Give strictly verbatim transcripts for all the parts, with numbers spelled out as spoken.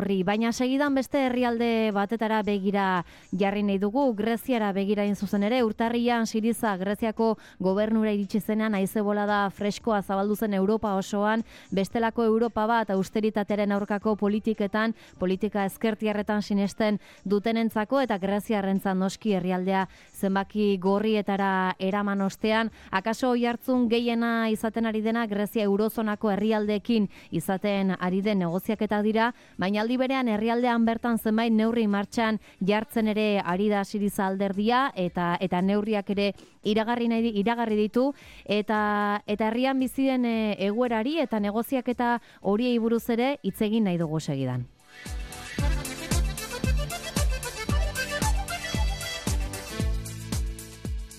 horri. Baina segidan beste herrialde batetara begira jarri nahi dugu, Greziara begira in zuzen ere, urtarrian Siriza Greziako gobernura iritsi zenean haize bolada freskoa zabaldu zen Europa osoan, bestelako Europa bat austeritatearen aurkako politiketan, politika ezkertiarretan sinesten dutenentzako eta Greziarrentzat noski herrialdea zenbaki gorrietara eraman ostean, akaso oihartzun gehiena izaten ari dena Grezia eurozonako herrialdeekin izaten ari den negoziaketa dira, baina aldi berean herrialdean bertan zenbait neurri martxan jartzen ere ari da Siriza alderdia eta eta neurriak ere iragarri nahi iragarri ditu eta eta herrian bizi den egoerari eta negoziaketa horiei buruz ere hitz egin nahi dugu segidan.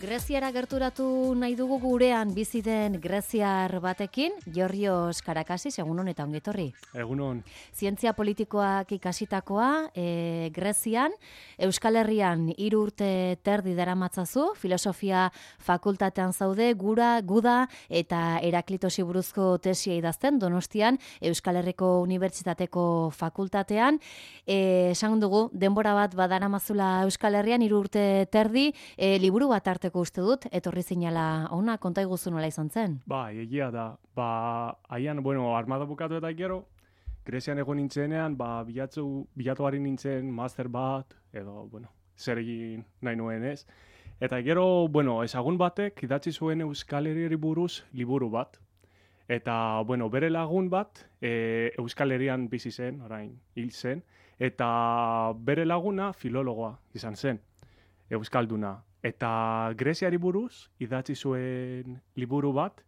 Greziara gerturatu nahi dugu gurean bizi den greziar batekin, Giorgios Karakasis, egunon eta ongetorri. Egunon. Zientzia politikoak ikasitakoa, e, Grezian, Euskal Herrian hiru urte terdi daramatzazu, filosofia fakultatean zaude, gura, guda eta Heraklitosi buruzko tesia idazten Donostian, Euskal Herriko Unibertsitateko fakultatean. E, esan dugu, denbora bat badaramazula Euskal Herrian hiru urte terdi, e, liburu bat arteko uste dut, etorri zinala ona, konta iguzu nola izan zen? Ba, egia da. Ba, haian, bueno, armada bukatu eta gero, Grezian egon nintzenean, ba, bilatu, bilatu ari nintzen master bat, edo, bueno, zer egin nahi nuen ez. Eta gero, bueno, ezagun batek idatzi zuen Euskal Herriari buruz liburu bat. Eta, bueno, bere lagun bat, e, Euskal Herrian bizi zen, orain, hil zen, eta bere laguna filologoa izan zen, Euskalduna. Eta Greziari buruz idatzi zuen liburu bat,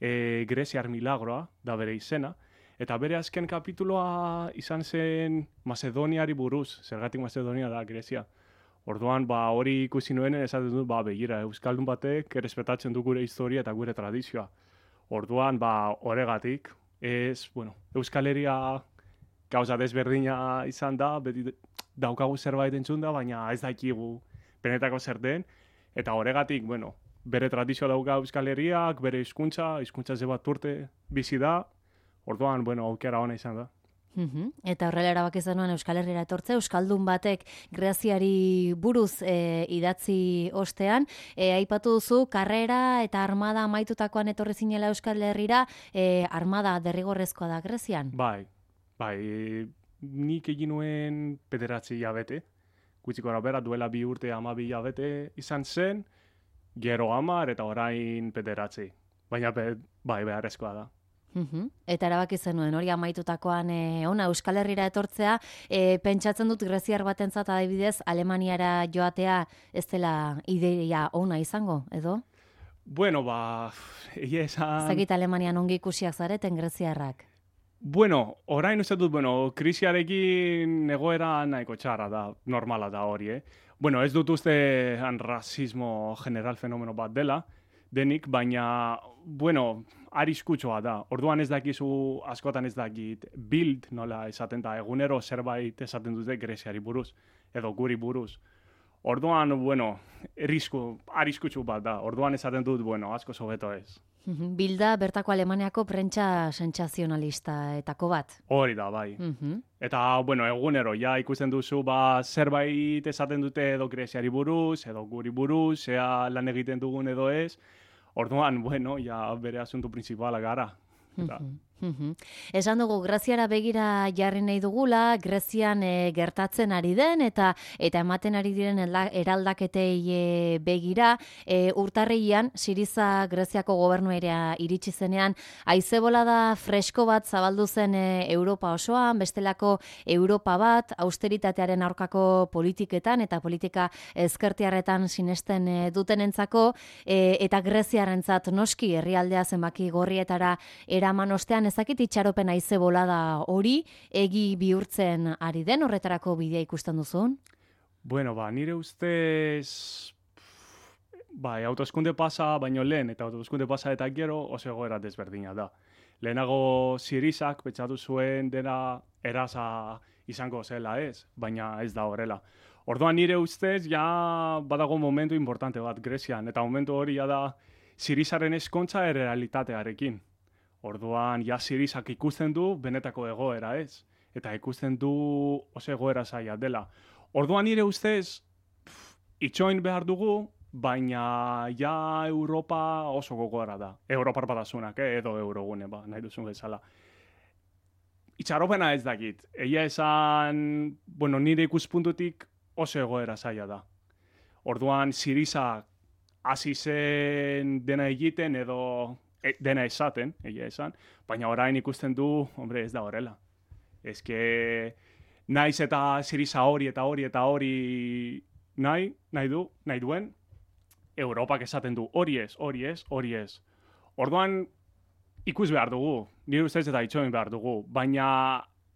e, Greziar Milagroa da bere izena, eta bere azken kapituloa izan zen Macedoniari buruz, zergatik Macedonia da Grezia. Orduan, ba, hori ikusi nuen esaten dut, ba, begira, Euskaldun batek errespetatzen du gure historia eta gure tradizioa. Orduan, ba, horregatik, ez, bueno, Euskal Herria gauza desberdina izan da, beti daukagu zerbait entzun da, baina ez dakigu benetako zer den, eta horregatik, bueno, bere tradizioa dauka Euskal Herriak, bere hizkuntza, hizkuntza ze bat urte bizi da, orduan, bueno, aukera ona izan da. Uhum. Eta horrela erabaki zenuen Euskal Herriera etortze, Euskaldun batek Greziari buruz e, idatzi ostean, e, aipatu duzu, karrera eta armada amaitutakoan etorri zinela Euskal Herrira, e, armada derrigorrezkoa da Grezian? Bai, bai, nik egin nuen bederatzi hilabete, gutxiko arabera duela bi urte hamabi hilabete izan zen, gero hamar eta orain bederatzi. Baina be, bai beharrezkoa da. Uhum. Eta erabaki zenuen, hori amaitutakoan e, ona Euskal Herrira etortzea, e, pentsatzen dut greziar batentzat adibidez Alemaniara joatea ez dela ideia ona izango, edo? Bueno, ba, egia esan... Zagit Alemanian ongi ikusiak zareten greziarrak? Bueno, orain uste dut, bueno, krisiarekin egoera nahiko txarra da, normala da hori, eh? Bueno, ez dut uste rasismo general fenomeno bat dela, denik, baina, bueno, arriskutsoa da. Orduan ez dakizu, askotan ez dakit, Bild nola esaten da, egunero zerbait esaten dute Greziari buruz, edo guri buruz. Orduan, bueno, risku, arriskutsu bat da. Orduan esaten dut, bueno, asko hobeto ez. Bilda bertako Alemaniako prentsa sentsazionalistaetako bat. Hori da, bai. Uhum. Eta, bueno, egunero, ja ikusten duzu, ba, zerbait esaten dute edo Greziari buruz, edo guri buruz, zea lan egiten dugun edo ez. Orduan, bueno, ja bere asunto principala gara. Eta... Uhum. Uhum. Esan dugu, Greziara begira jarri nahi dugula, Grezian e, gertatzen ari den, eta eta ematen ari diren eraldaketei e, begira, e, urtarrian, Siriza Greziako gobernuera iritsi zenean, haizebolada fresko bat zabaldu zen e, Europa osoan, bestelako Europa bat, austeritatearen aurkako politiketan, eta politika ezkertiarretan sinesten e, dutenentzako, e, eta Greziarrentzat noski herrialdea zenbaki gorrietara eraman ostean, ezakit itxaropen haize bolada hori egi bihurtzen ari den, horretarako bidea ikusten duzun? Bueno, ba, nire ustez, bai, autoeskunde pasa baino lehen, eta autoeskunde pasa eta gero oso egoera desberdina da. Lehenago Sirizak pentsatu zuen dena eraza izango zela ez, baina ez da horrela. Orduan nire ustez ja badago momentu importante bat Grezian, eta momentu hori ja da Sirizaren eskontza errealitatearekin. Orduan, ja Sirizak ikusten du benetako egoera ez. eta ikusten du oso egoera zaila dela. Orduan nire ustez, pff, itxoin behar dugu, baina ja Europa oso gogora da. Europar batasunak, eh? Edo eurogune, ba, nahi duzun bezala. Itxaropena ez dakit. Egia esan, bueno, nire ikuspuntutik oso egoera zaila da. Orduan, Siriza hasi zen dena egiten edo e, dena esaten, egia esan, baina orain ikusten du, hombre, ez da horrela. Ez que naiz eta Siriza hori eta hori eta hori nahi, nahi du, nahi duen, Europak esaten du hori ez, hori ez, hori ez. Orduan, ikus behar dugu, nire ustez eta itxoin behar dugu, baina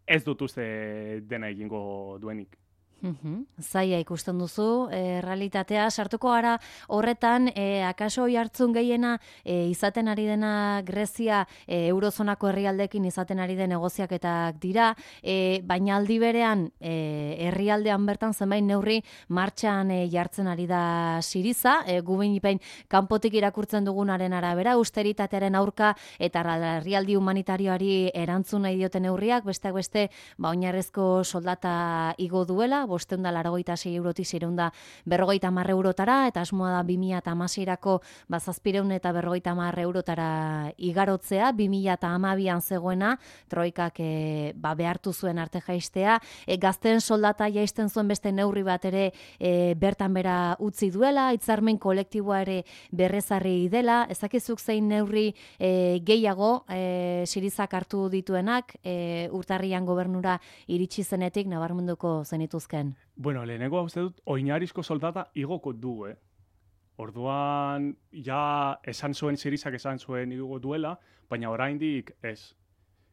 ez dut uste dena egingo duenik. Uhum. Zaila ikusten duzu, e, realitatea sartuko gara horretan, e, akaso jartzun gehiena e, izaten ari dena Grezia e, eurozonako herrialdekin izaten ari den negoziaketak dira, e, baina aldi berean e, herrialdean bertan zenbait neurri martxan e, jartzen ari da Siriza, e, gubinipein kanpotik irakurtzen dugunaren arabera, austeritatearen aurka eta herrialdi humanitarioari erantzun nahi dioten neurriak, besteak beste, ba, oinarrezko soldata igo duela, bosteun da laurogeita sei eurotik seiehun da berrogeita hamar eurotara, eta asmoa da bi mila hamaseirako ba zazpiehun eta berrogeita hamar eurotara igarotzea, bi mila hamabian zegoena, troikak e, ba behartu zuen arte jaistea, e, gazten soldata jaisten zuen beste neurri bat ere e, bertan bera utzi duela, hitzarmen kolektiboa ere berrezarri dela, ezakizuk zein neurri e, gehiago e, Sirizak hartu dituenak, e, urtarrian gobernura iritsi zenetik nabarmenduko zenituzken. Bueno, lehenengo uste dut, oinarizko soldata igoko du, eh? Orduan, ja esan zuen Sirizak esan zuen igo duela, baina oraindik ez.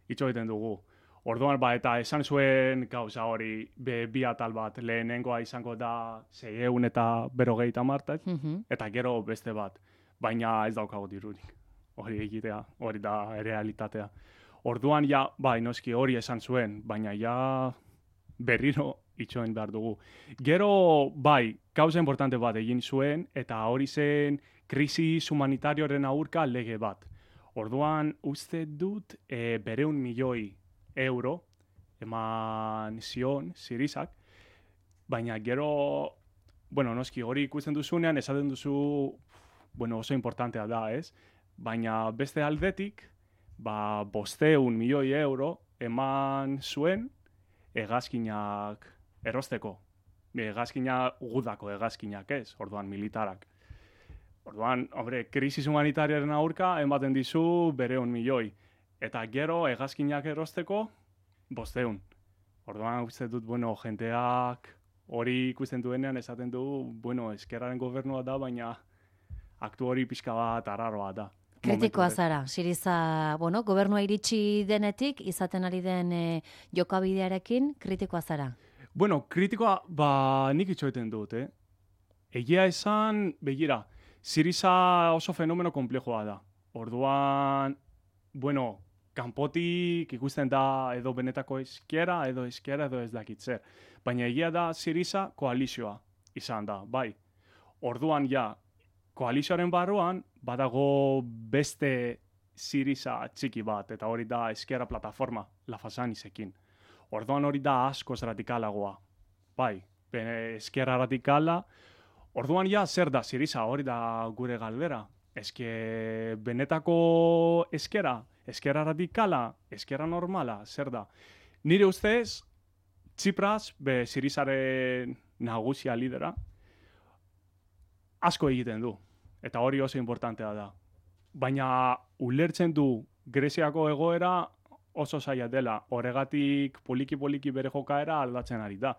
Itxo egiten dugu. Orduan, ba, eta esan zuen gauza hori be, bi atal bat, lehenengoa izango da seiehun eta berrogeita hamartak, Mhm. eta gero beste bat. Baina ez daukago dirurik. Hori egitea, hori da errealitatea. Orduan, ja, bai, noski hori esan zuen, baina ja berriro itxoen behar dugu. Gero, bai, gauza importante bat egin zuen, eta hori zen krisis humanitarioaren aurka lege bat. Orduan, uste dut e, bereun milioi euro eman zion Sirizak, baina gero, bueno, noski, hori ikusten duzunean, esaten duzu, bueno, oso importantea da, ez? Baina beste aldetik, ba, bosteun milioi euro eman zuen hegazkinak erosteko. Hegazkina udako hegazkinak ez, orduan militarak. Orduan, hombre, krisis humanitariaren aurka ematen dizu bereun milioi. Eta gero hegazkinak erosteko bosteun. Orduan, uste dut, bueno, jenteak hori ikusten duenean esaten du, bueno, eskerraren gobernua da, baina aktu hori pixka bat arraroa da. Kritikoa zara, Siriza, bueno, gobernua iritsi denetik, izaten ari den e, jokabidearekin, kritikoa zara. Bueno, kritikoa, ba, nik itxoeten dut, eh? Egia esan, begira, Siriza oso fenomeno komplejoa da. Orduan, bueno, kanpotik ikusten da edo benetako eskiera, edo eskiera, edo ez dakitzer. Baina egia da Siriza koalizioa izan da, bai. Orduan, ja, koalizioaren barruan, badago beste Siriza txiki bat, eta hori da eskiera plataforma, La Fasanisekin. Orduan hori da askoz radikalagoa. Bai, eskiera radikala. Orduan ja, zer da Siriza, hori da gure galdera. Eske benetako eskera, eskera radikala, eskera normala, zer da. Nire ustez, Tsipras, be Sirizaren nagusia lidera, asko egiten du. Eta hori oso importantea da. Baina ulertzen du Greziako egoera oso zaila dela. Horregatik poliki-poliki bere jokaera aldatzen ari da.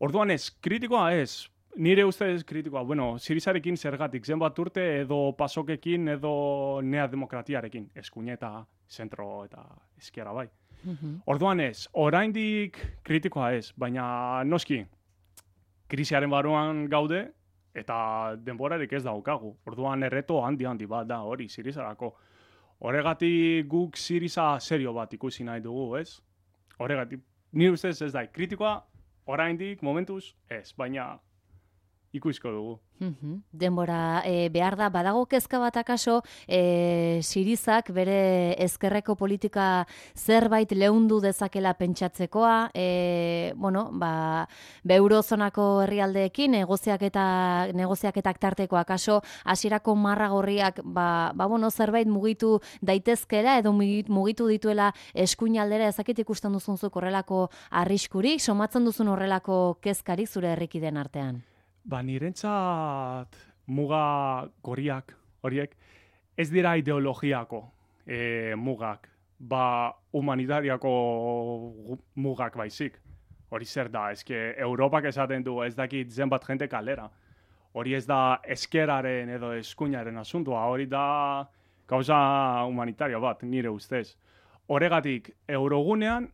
Orduan ez, kritikoa ez. Nire ustez kritikoa. Bueno, Sirizarekin zergatik zenbat urte edo pasokekin edo nea demokratiarekin. Eskuineta, zentro eta eskiera bai. Mhm. Orduan ez, oraindik kritikoa ez. Baina noski, krisiaren barruan gaude, eta denborarik ez daukagu. Orduan erreto handi-handi bat da hori Sirizarako. Horregatik guk Siriza serio bat ikusi nahi dugu, ez? Horregatik, nire ustez ez da, kritikoa oraindik momentuz ez, baina ikusko dugu. Mhm. Denbora e, behar da, badago kezka bat akaso, e, Sirizak bere ezkerreko politika zerbait leundu dezakela pentsatzekoa, e, bueno, ba, be eurozonako herrialdeekin negoziaketa, negoziaketak tarteko akaso, hasierako marra gorriak, ba, ba, bueno, zerbait mugitu daitezkela, edo mugitu dituela eskuinaldera, ezakit ikusten duzun zuk horrelako arriskurik, somatzen duzun horrelako kezkarik zure herrikideen artean? Ba, nirentzat muga gorriak, horiek, ez dira ideologiako e, mugak, ba, humanitariako mugak baizik. Hori zer da, eske Europak esaten du ez dakit zenbat jente kalera. Hori ez da eskeraren edo eskuinaren asuntua, hori da gauza humanitario bat, nire ustez. Horregatik, eurogunean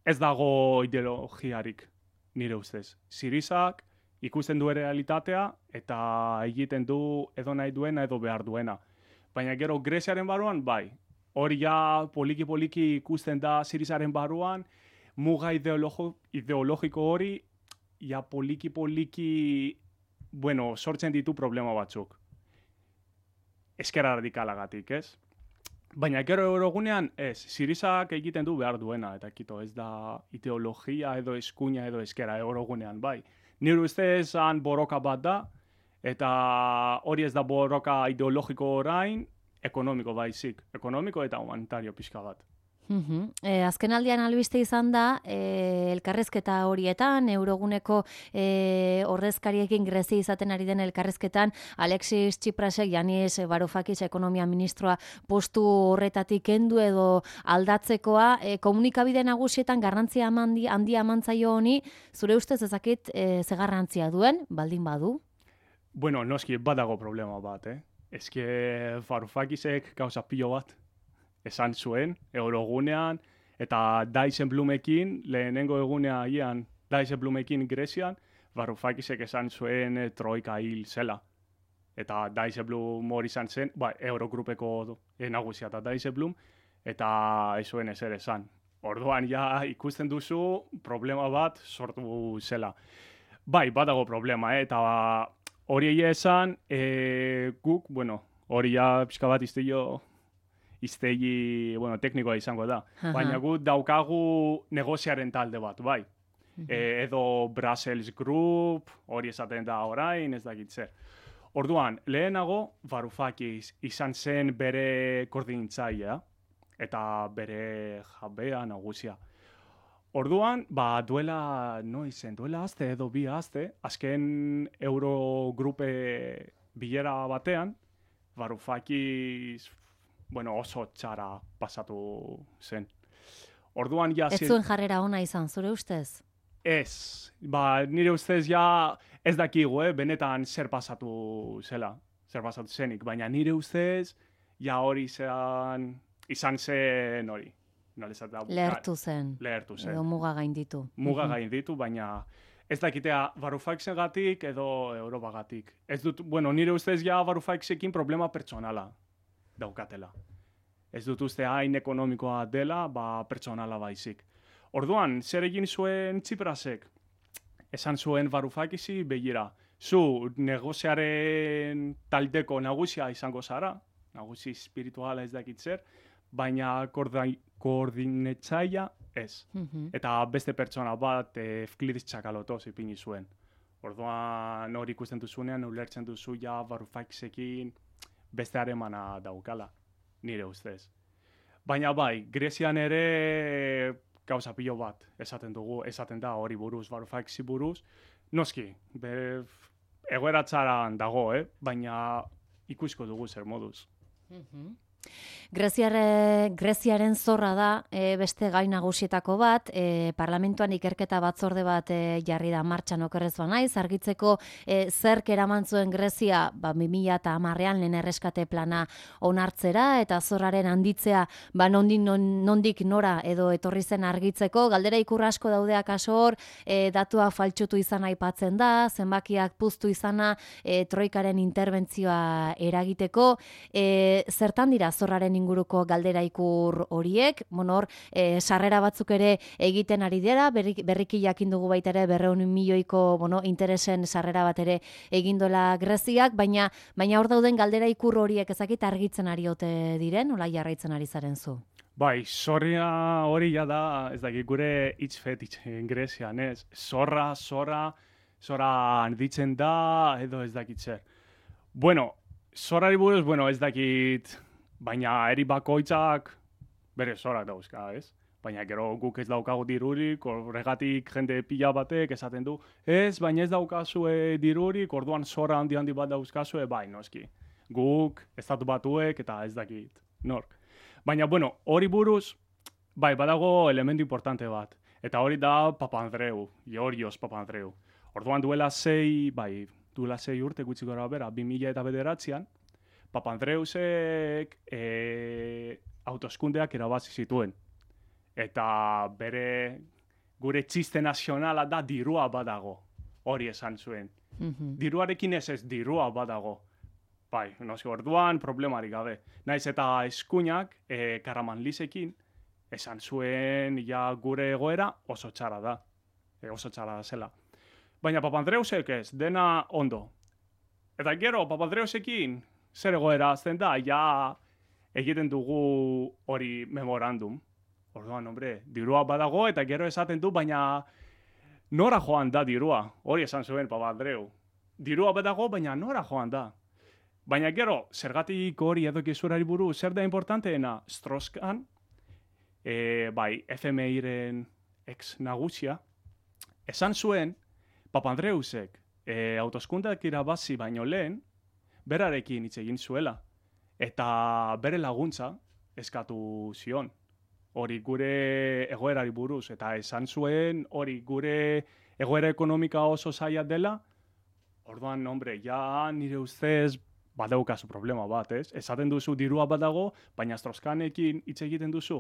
ez dago ideologiarik, nire ustez. Sirizak ikusten du realitatea eta egiten du edo nahi duena edo behar duena. Baina gero Greziaren baruan, bai. Hori ja poliki-poliki ikusten da Sirizaren baruan, muga ideologo, ideologiko hori, ja poliki-poliki, bueno, sortzen ditu problema batzuk. Eskera radikalagatik, ez? Baina gero eurogunean, ez, Sirizak egiten du behar duena, eta kito, ez da ideologia edo eskuina edo eskera eurogunean, bai. Nire ustez han borroka bat da, eta hori ez da borroka ideologiko orain, ekonomiko baizik. Ekonomiko eta humanitario pixka bat. Uhum. E, azken aldian albiste izan da, e, elkarrezketa horietan, euroguneko e, ordezkariekin Grezia izaten ari den elkarrezketan, Alexis Tsiprasek, Yanis Varoufakis ekonomia ministroa postu horretatik kendu edo aldatzekoa, e, komunikabide nagusietan garrantzia handi, handia amantzaio honi, zure ustez ezakit e, ze garrantzia duen, baldin badu? Bueno, noski, badago problema bat, eh? Eske Varoufakisek gauza pilo bat esan zuen, eurogunean, eta Dijsselbloemekin, lehenengo egunea ian Dijsselbloemekin Grezian, Varoufakisek esan zuen e, troika hil zela. Eta Dijsselbloem hori izan zen, ba, Eurogrupeko e, nagusia eta Dijsselbloem, eta ez zuen ezer esan. Orduan ja ikusten duzu problema bat sortu zela. Bai, badago problema, eh? Eta hori egia esan, e, guk, bueno, hori ja pixka bat izteio iztegi, bueno, teknikoa izango da. Aha. Baina gu daukagu negoziaren talde bat, bai. Uh-huh. E, edo Brussels Group, hori esaten da orain, ez dakit zer. Orduan, lehenago, Varoufakis izan zen bere koordinatzailea, eta bere jabea nagusia. Orduan, ba, duela, no izen, duela azte edo bi azte, azken Eurogrupe bilera batean, Varoufakis, bueno, oso txara pasatu zen. Orduan ja... Ez zuen jarrera ona izan, zure ustez? Ez. Ba, nire ustez ja ez dakigu, eh? Benetan zer pasatu zela. Zer pasatu zenik. Baina nire ustez ja hori zen, izan zen hori. Lehertu zen. Lehertu zen. Edo muga gainditu. Muga gainditu, baina ez dakitea Varoufakisegatik edo Europagatik. Ez dut, bueno, nire ustez ja Varoufakisekin problema pertsonala daukatela. Ez dut uste hain ekonomikoa dela, ba pertsonala baizik. Orduan, zer egin zuen Tsiprasek? Esan zuen Varoufakisi, begira, zu negoziaren taldeko nagusia izango zara, nagusi espirituala ez dakit zer, baina koordinatzailea ez. Mm-hmm. Eta beste pertsona bat e, Evklidis Tsakalotos ipini zuen. Orduan, hori ikusten duzunean, ulertzen duzu ja Varoufakisekin beste haremana daukala, nire ustez. Baina bai, Grezian ere gauza pilo bat esaten dugu, esaten da hori buruz, Varoufakisi buruz. Noski, be, egoeratzaran dago, eh? Baina ikusko dugu zer moduz. Mm-hmm. Greziare, Greziaren zorra da e, beste gai nagusietako bat, e, parlamentuan ikerketa batzorde bat e, jarri da martxan okerrez banaiz, argitzeko e, zerk eraman zuen Grezia ba, bi mila hamarrean lehen erreskate plana onartzera, eta zorraren handitzea ba, nondik, non, nondik nora edo etorri zen argitzeko, galdera ikur asko daudeak aso hor, e, datua faltsutu izan aipatzen da, zenbakiak puztu izana e, troikaren interbentzioa eragiteko, e, zertan dira zorraren inguruko galdera ikur horiek, bueno, hor, e, sarrera batzuk ere egiten ari dira, berrik, berriki jakin dugu baita ere berreun milioiko, bueno, interesen sarrera bat ere egindola Greziak, baina baina hor dauden galdera ikur horiek ezakit argitzen ari ote diren, nola jarraitzen ari zaren zu? Bai, zorria hori ja da, ez dakit gure hitz fetitz Grezian, ez? Zorra, zorra, zorra handitzen da, edo ez dakit zer. Bueno, zorrari buruz, bueno, ez dakit, baina eri bakoitzak bere zorrak dauzka, ez? Baina gero guk ez daukagu dirurik, horregatik jende pila batek esaten du, ez, baina ez daukazue dirurik, orduan zorra handi handi bat dauzkazue, bai, noski. Guk, estatu batuek, eta ez dakit, nork. Baina, bueno, hori buruz, bai, badago elementu importante bat. Eta hori da Papandreou, Georgios Papandreou. Orduan duela sei, bai, duela sei urte gutxi gora bera, bi mila eta bederatzean, Papandreousek e, autoskundeak irabazi zituen. Eta bere gure txiste nazionala da dirua badago, hori esan zuen. Mm-hmm. Diruarekin ez ez dirua badago. Bai, noski orduan problemarik gabe. Naiz eta eskuinak e, Karamanlisekin esan zuen ja gure egoera oso txara da. E, oso txara da zela. Baina Papandreousek ez, dena ondo. Eta gero Papandreousekin zer egoera azten da, ja egiten dugu hori memorandum. Orduan, hombre, dirua badago eta gero esaten du, baina nora joan da dirua. Hori esan zuen Papandreou. Dirua badago, baina nora joan da. Baina gero, zergatik hori edokizurari buru, zer da importanteena? Strauss-Kahn, e, bai, F M I-ren ex nagusia, esan zuen, Papandreousek e, autoskundak irabazi baino lehen, berarekin hitz egin zuela. Eta bere laguntza eskatu zion. Hori gure egoerari buruz. Eta esan zuen, hori gure egoera ekonomika oso zaila dela, orduan, hombre, ja nire ustez, badaukazu problema bat, ez? Esaten duzu dirua badago, baina Strauss-Kahnekin hitz egiten duzu.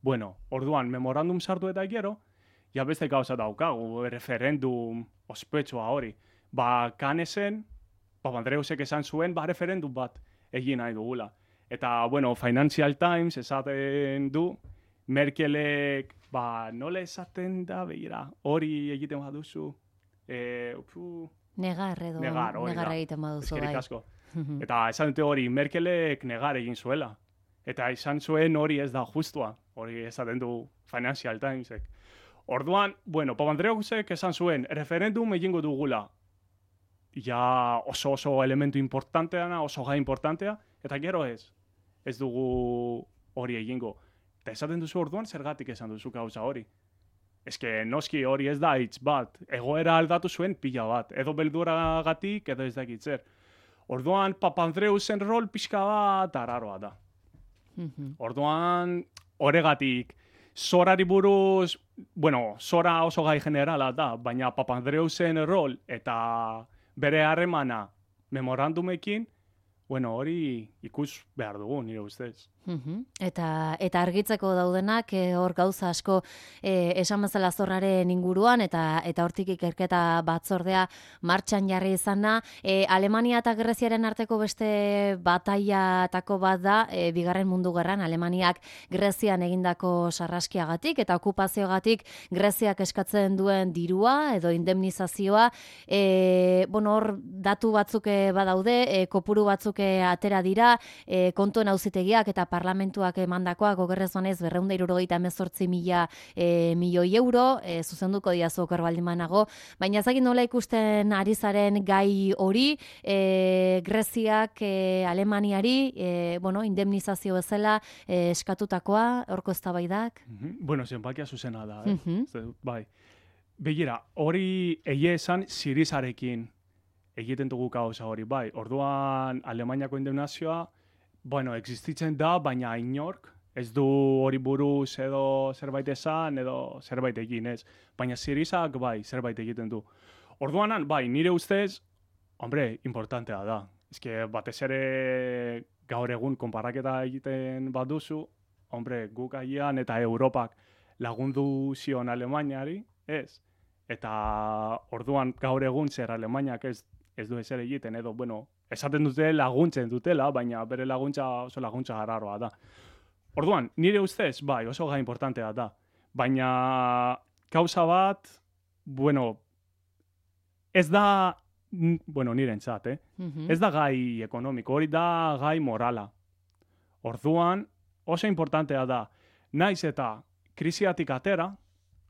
Bueno, orduan, memorandum sartu eta gero, ja beste gauza daukagu, referendum ospetsua hori. Ba, Kanesen, Papandreousek esan zuen, ba, referendum bat egin nahi dugula. Eta, bueno, Financial Times esaten du, Merkelek, ba, nola esaten da, begira, hori egiten baduzu. E, upu, negar edo, negar, negar egiten baduzu, bai. Asko. Eta esan dute hori, Merkelek negar egin zuela. Eta esan zuen hori ez da justua. Hori esaten du Financial Timesek. Orduan, bueno, Papandreousek esan zuen, referendum egingo dugula. Ja oso oso elementu importanteana, oso gai importantea, eta gero ez. Ez dugu hori egingo. Eta esaten duzu orduan, zergatik esan duzu gauza hori. Eske noski hori ez da hitz bat. Egoera aldatu zuen pila bat. Edo belduragatik, edo ez dakit zer. Orduan, Papandreousen rol pixka bat araroa da. Mm-hmm. Orduan, horregatik, zorari buruz, bueno, zora oso gai generala da, baina Papandreousen rol eta bere harremana memorandumekin, bueno, hori ikus behar dugu, nire ustez. Uhum. Eta, eta argitzeko daudenak, e, hor gauza asko e, esan bezala zorraren inguruan, eta eta hortik ikerketa batzordea martxan jarri izana. E, Alemania eta Greziaren arteko beste bataiatako bat da, e, bigarren mundu gerran, Alemaniak Grezian egindako sarraskiagatik, eta okupazioagatik Greziak eskatzen duen dirua, edo indemnizazioa. E, bueno, hor datu batzuk badaude, e, kopuru batzuk atera dira, e, kontuen auzitegiak eta parlamentuak emandakoak okerrezonez berrehun eta hirurogeita hemezortzi mila e, milioi euro, e, zuzenduko diazu oker baldin banago, baina ezagik nola ikusten ari zaren gai hori, e, Greziak e, Alemaniari, e, bueno, indemnizazio bezala e, eskatutakoa, horko eztabaidak? Mm-hmm. Bueno, zenbakia zuzena da, eh? Mm-hmm. Bai. Begira, hori egia esan Sirizarekin egiten dugu gauza hori, bai. Orduan Alemaniako indemnazioa, bueno, existitzen da, baina inork ez du hori buruz edo zerbait esan edo zerbait egin, ez. Baina Sirizak, bai, zerbait egiten du. Orduanan, bai, nire ustez, hombre, importantea da. Ezke, batez ere gaur egun konparaketa egiten baduzu, hombre, guk agian eta Europak lagundu zion Alemaniari, ez. Eta orduan gaur egun zer Alemaniak ez, ez du ezer egiten, edo, bueno, esaten dute laguntzen dutela, baina bere laguntza oso laguntza arraroa da. Orduan, nire ustez, bai, oso gai importantea da. Baina kauza bat, bueno, ez da, bueno, nirentzat, eh? Mhm. Ez da gai ekonomiko, hori da gai morala. Orduan, oso importantea da, naiz eta krisiatik atera,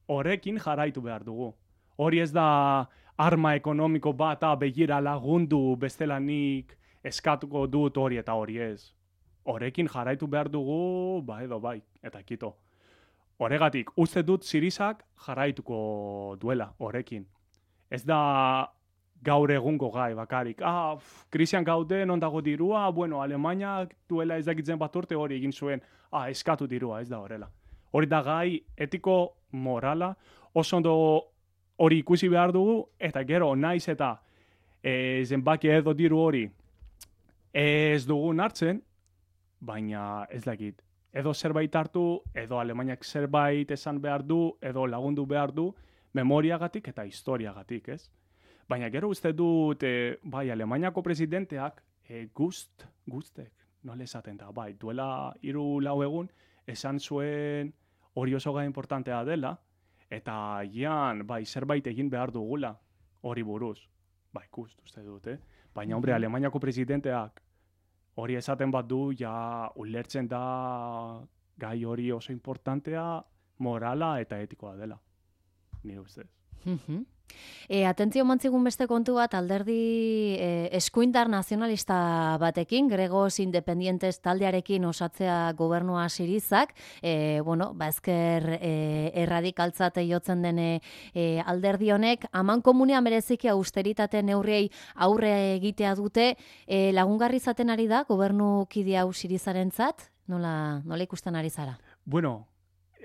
horrekin jarraitu behar dugu. Hori ez da arma ekonomiko bat begira lagundu bestelanik eskatuko dut hori eta hori ez. Horrekin jarraitu behar dugu, ba edo bai, eta kito. Horregatik, uste dut Sirizak jarraituko duela horrekin. Ez da gaur egungo gai bakarik. Ah, pff, krisian gaude, non dago dirua, bueno, Alemaniak duela ez dakitzen bat urte hori egin zuen, ah, eskatu dirua, ez da horrela. Hori da gai etiko morala, oso ondo hori ikusi behar dugu, eta gero naiz eta e, zenbaki edo diru hori ez dugun hartzen, baina ez dakit. Edo zerbait hartu, edo Alemaniak zerbait esan behar du, edo lagundu behar du, memoriagatik eta historiagatik, ez? Baina gero uste dut, e, bai, Alemaniako presidenteak e, guzt, guztek, nola esaten da, bai, duela hiru lau egun, esan zuen hori oso gai importantea dela, eta gian, bai, zerbait egin behar dugula hori buruz. Bai, gust, uste dut, eh? Baina, hombre, Alemaniako presidenteak hori esaten bat du, ja, ulertzen da gai hori oso importantea, morala eta etikoa dela. Nire ustez. Mhm. E, atentzio mantzigun beste kontu bat, alderdi e, eskuindar nazionalista batekin, Gregoz Independientes taldearekin osatzea gobernua Sirizak, e, bueno, ba ezker e, erradikaltzat jotzen dene e, alderdi honek, aman komunea mereziki austeritate neurriei aurre egitea dute, e, lagungarri izaten ari da gobernu kide hau Sirizarentzat, nola, nola ikusten ari zara? Bueno,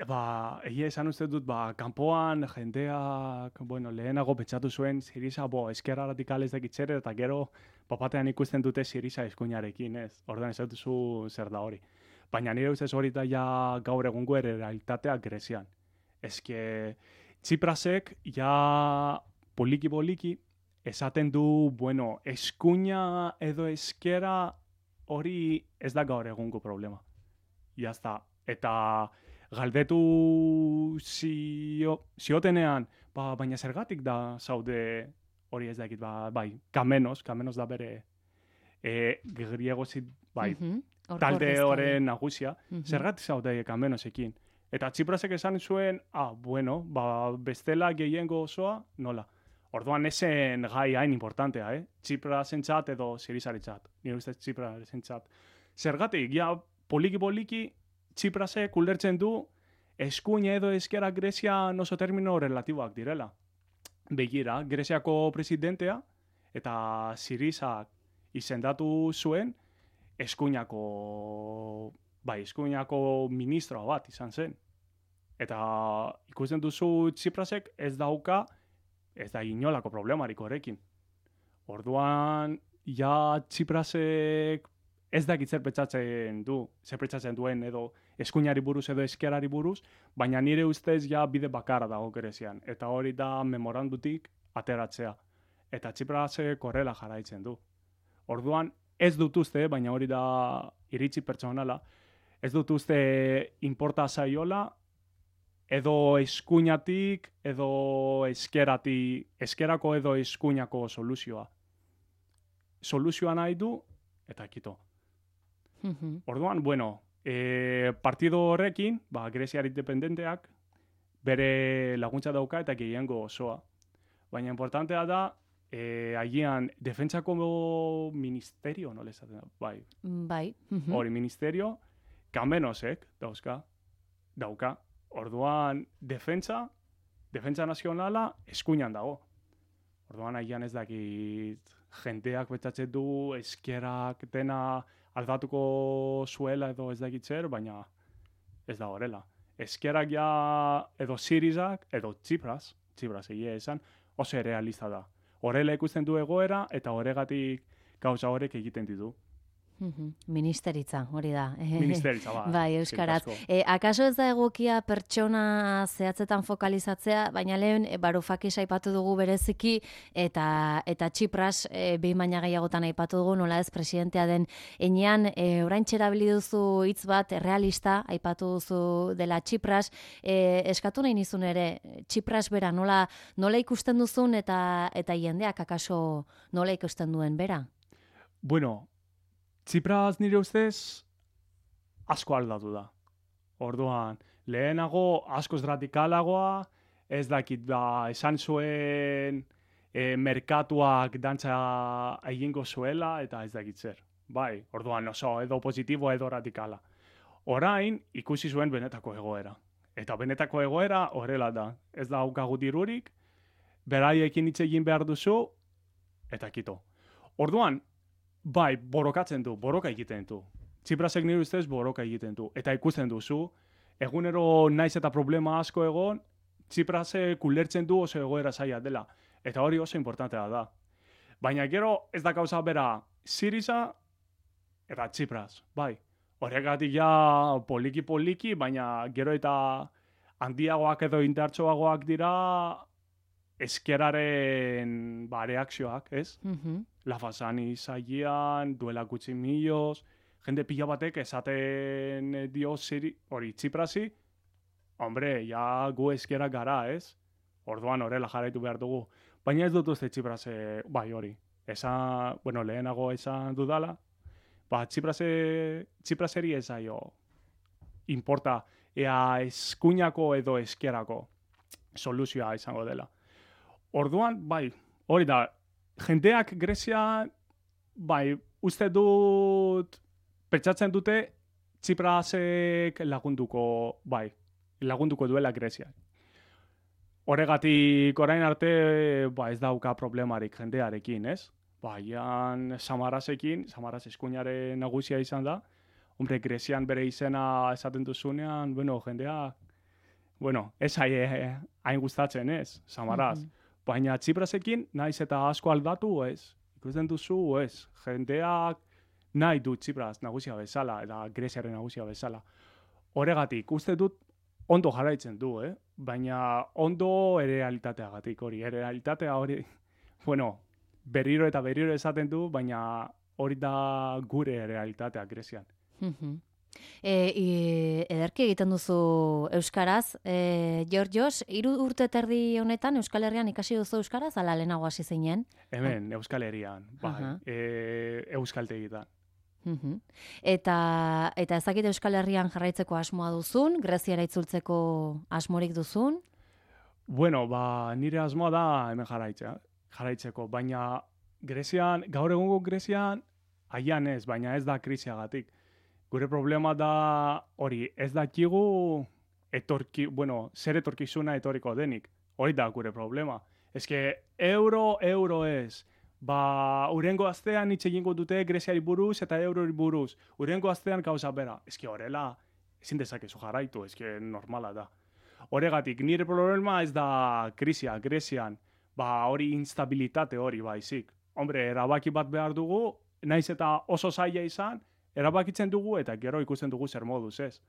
ba, egia esan uste dut, ba, kanpoan jendeak, bueno, lehenago pentsatu zuen Siriza, bo, ezkerra radikal ez dakitzer, eta gero papatean ikusten dute Siriza eskuinarekin, ez? Ordan ez duzu zer da hori. Baina nire ustez hori da ja gaur egungo ere realitatea Grezian. Ezke, Tsiprasek ja poliki-poliki esaten du, bueno, eskuina edo ezkera hori ez da gaur egungo problema. Jazta. Eta galdetu zio, ziotenean, ba, baina zergatik da zaude hori ez dakit, ba, bai, Kamenos, Kamenos da bere e, griegozit, bai, Mhm. talde horren nagusia, Mhm. zergatik zaude Kamenosekin. Eta Tsiprasek esan zuen, ah, bueno, ba, bestela gehiengo osoa, nola. Orduan esen gai hain importantea, eh? Tsiprasentzat edo Sirizarentzat. Nire ustez Tsiprasentzat. Zergatik, ja, poliki-poliki, Tsiprasek ulertzen du eskuina edo ezkera Grezia oso termino relatiboak direla. Begira, Greziako presidentea eta Sirizak izendatu zuen eskuinako, bai, eskuinako ministroa bat izan zen. Eta ikusten duzu Tsiprasek ez dauka, ez da inolako problemarik horrekin. Orduan, ja Tsiprasek ez dakit zer pentsatzen du, zer pentsatzen duen edo eskuinari buruz edo eskerari buruz, baina nire ustez ja bide bakarra dago Grezian. Eta hori da memorandutik ateratzea. Eta Tsiprasek horrela jarraitzen du. Orduan, ez dut uste, baina hori da iritzi pertsonala, ez dut uste inporta zaiola, edo eskuinatik, edo eskerati, eskerako edo eskuinako soluzioa. Soluzioa nahi du, eta kito. Mhm. Orduan, bueno, e, partido horrekin, ba, Greziar independenteak, bere laguntza dauka eta gehiengo osoa. Baina importantea da, e, agian, defentsako ministerio, nola esaten da, bai. Bai. Mhm. Hori, ministerio, Kamenosek dauzka, dauka. Orduan, defentsa, defentsa nazionala, eskuinan dago. Orduan, agian ez dakit, jendeak betzatzen du, eskerak dena aldatuko zuela edo ez dakit zer, baina ez da horrela. Eskerak ja, edo Sirizak, edo Tsipras, Tsipras egia esan, oso realista da. Horrela ikusten du egoera, eta horregatik gauza horrek egiten ditu. Ministeritza, hori da. Ministeritza, ba. Bai, euskaraz. E, akaso ez da egokia pertsona zehatzetan fokalizatzea, baina lehen e, Varoufakis aipatu dugu bereziki, eta eta Tsipras e, behin baina gehiagotan aipatu dugu, nola ez presidentea den enean, e, orain txerabili duzu hitz bat, realista, aipatu duzu dela Tsipras, e, eskatu nahi nizun ere, Tsipras bera nola, nola ikusten duzun, eta, eta jendeak akaso nola ikusten duen bera? Bueno, Tsipras nire ustez asko aldatu da. Orduan, lehenago askoz radikalagoa, ez dakit ba, esan zuen e, merkatuak dantza egingo zuela, eta ez dakit zer. Bai, orduan oso edo positibo edo radikala. Orain, ikusi zuen benetako egoera. Eta benetako egoera horrela da. Ez da daukagu dirurik, beraiekin hitz egin behar duzu, eta kito. Orduan, bai, borokatzen du, boroka egiten du. Tsiprasek nire ustez boroka egiten du. Eta ikusten duzu, egunero naiz eta problema asko egon, Tsiprasek ulertzen du oso egoera zaila dela. Eta hori oso importantea da. Baina gero ez da gauza bera Syriza eta Tsipras, bai. Horregatik ja poliki-poliki, baina gero eta handiagoak edo indartsoagoak dira eskeraren ba, reakzioak, ez? Mm-hmm. Lafasani zailean, duela gutxi milioz, jende pila batek esaten dio ziri, hori Tsiprasi, hombre, ja gu eskera gara, ez? Orduan horrela jarraitu behar dugu. Baina ez dut uste Tsiprase, bai hori, esan, bueno, lehenago esan dudala, ba, Tsiprase, Tsipraseri ez zaio, importa, ea eskuinako edo eskerako soluzioa izango dela. Orduan, bai, hori da, jendeak Grezia, bai, uste dut, pentsatzen dute, Tsiprasek lagunduko, bai, lagunduko duela Grezia. Horregatik orain arte, ba, ez dauka problemarik jendearekin, ez? Baian Samarasekin, Samaras eskuinaren nagusia izan da, hombre, Grezian bere izena esaten duzunean, bueno, jendea, bueno, ez hain gustatzen, ez, Samaras. Mm-hmm. Baina Tsiprasekin naiz eta asko aldatu, ez. Ikusten duzu, ez. Jendeak nahi du Tsipras nagusia bezala, eta Greziaren nagusia bezala. Horregatik, uste dut ondo jarraitzen du, eh? Baina ondo errealitateagatik hori. Errealitatea hori, bueno, berriro eta berriro esaten du, baina hori da gure errealitatea Grezian. Mm-hmm. E, e, ederki egiten duzu euskaraz, e, Georgios, hiru urte terdi honetan Euskal Herrian ikasi duzu euskaraz, ala lehenago hasi zinen? Hemen, Euskal Herrian, bai, uh-huh. e, euskaltegitan. Uh-huh. Eta, eta ezakit Euskal Herrian jarraitzeko asmoa duzun, Greziara itzultzeko asmorik duzun? Bueno, ba, nire asmoa da hemen jarraitzea, jarraitzeko, baina Grezian, gaur egungo Grezian, haian ez, baina ez da krisiagatik. Gure problema da hori, ez dakigu etorki, bueno, zer etorkizuna etoriko denik. Hori da gure problema. Ez que euro, euro ez. Ba, urengo astean hitz egingo dute Greziari buruz eta eurori buruz. Urengo astean gauza bera. Ez que horrela, ezin dezakezu jarraitu, ez que normala da. Horregatik, nire problema ez da krisia, Grezian. Ba, hori instabilitate hori baizik. Hombre, erabaki bat behar dugu, naiz eta oso zaila izan, erabakitzen dugu eta gero ikusten dugu zer moduz, ez.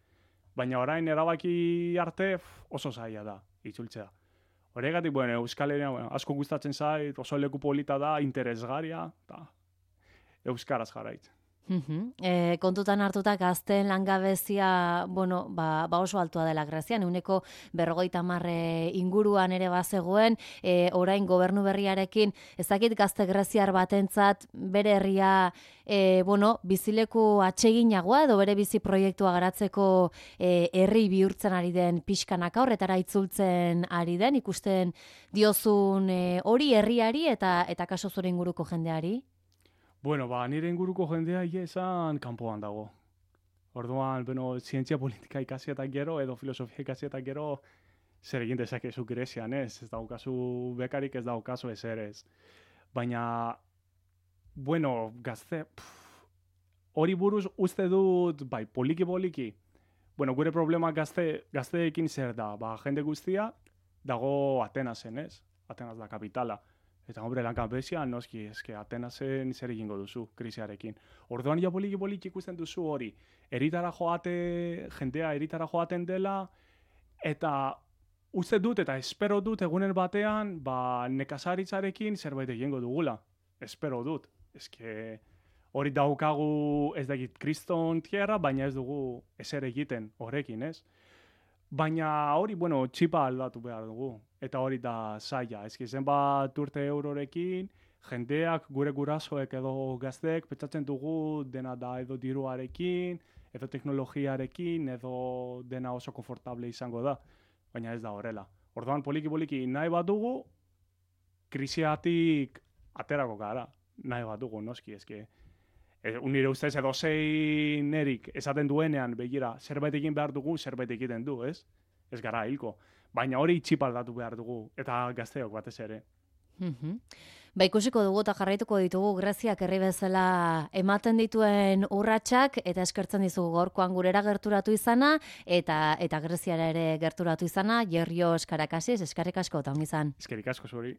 Baina orain erabaki arte oso zaila da, itzultzea. Horregatik, bueno, Euskal Herria, bueno, asko gustatzen zait, oso leku polita da, interesgarria, eta euskaraz jarraitzen. Uh-huh. E, kontutan hartuta gazteen langabezia, bueno, ba, ba oso altua dela Grezian, ehuneko berrogeita hamarre inguruan ere bazegoen, e, orain gobernu berriarekin, ezakit gazte greziar batentzat bere herria, e, bueno, bizileku atseginagoa edo bere bizi proiektua garatzeko e, herri bihurtzen ari den pixkanaka horretara itzultzen ari den, ikusten diozun e, hori herriari eta eta kaso zure inguruko jendeari? Bueno, ba, nire inguruko jendea ia esan kanpoan dago. Orduan, bueno, zientzia politika ikasi eta gero, edo filosofia ikasi eta gero, zer egin dezakezu Grezian, ez? Ez daukazu bekarik, ez daukazu ezer ez. Baina, bueno, gazte, pff, hori buruz uste dut, bai, poliki-poliki. Bueno, gure problema gazte, gazteekin zer da? Ba, jende guztia dago Atenasen, ez? Atenas da kapitala. Eta hombre, lan kanpezian, noski, eske Atenasen zer egingo duzu, krisiarekin. Orduan ja poliki-poliki ikusten duzu hori, eritara joate, jendea eritara joaten dela, eta uste dut eta espero dut egunen batean, ba, nekazaritzarekin zerbait egingo dugula. Espero dut. Eske hori daukagu ez dakit kriston tierra, baina ez dugu ezer egiten horrekin, ez? Baina hori, bueno, txipa aldatu behar dugu. Eta hori da zaila. Eski zenbat urte eurorekin, jendeak, gure gurasoek edo gazteek, pentsatzen dugu dena da edo diruarekin, edo teknologiarekin, edo dena oso konfortable izango da. Baina ez da horrela. Orduan poliki-poliki nahi bat dugu, krisiatik aterako gara. Nahi bat dugu, noski, eski. E, nire ustez edo zein erik esaten duenean, begira, zerbait egin behar dugu, zerbait egiten du, ez? Ez gara hilko. Baina hori txipaldatu behar dugu, eta gazteok batez ere. Mm-hmm. Ba, ikusiko dugu eta jarraituko ditugu Greziak herri bezala ematen dituen urratsak eta eskertzen dizugu gaurkoan gurera gerturatu izana eta eta Greziara ere gerturatu izana. Georgios Karakasis, eskerrik asko eta ongi izan. Eskerrik asko zuri.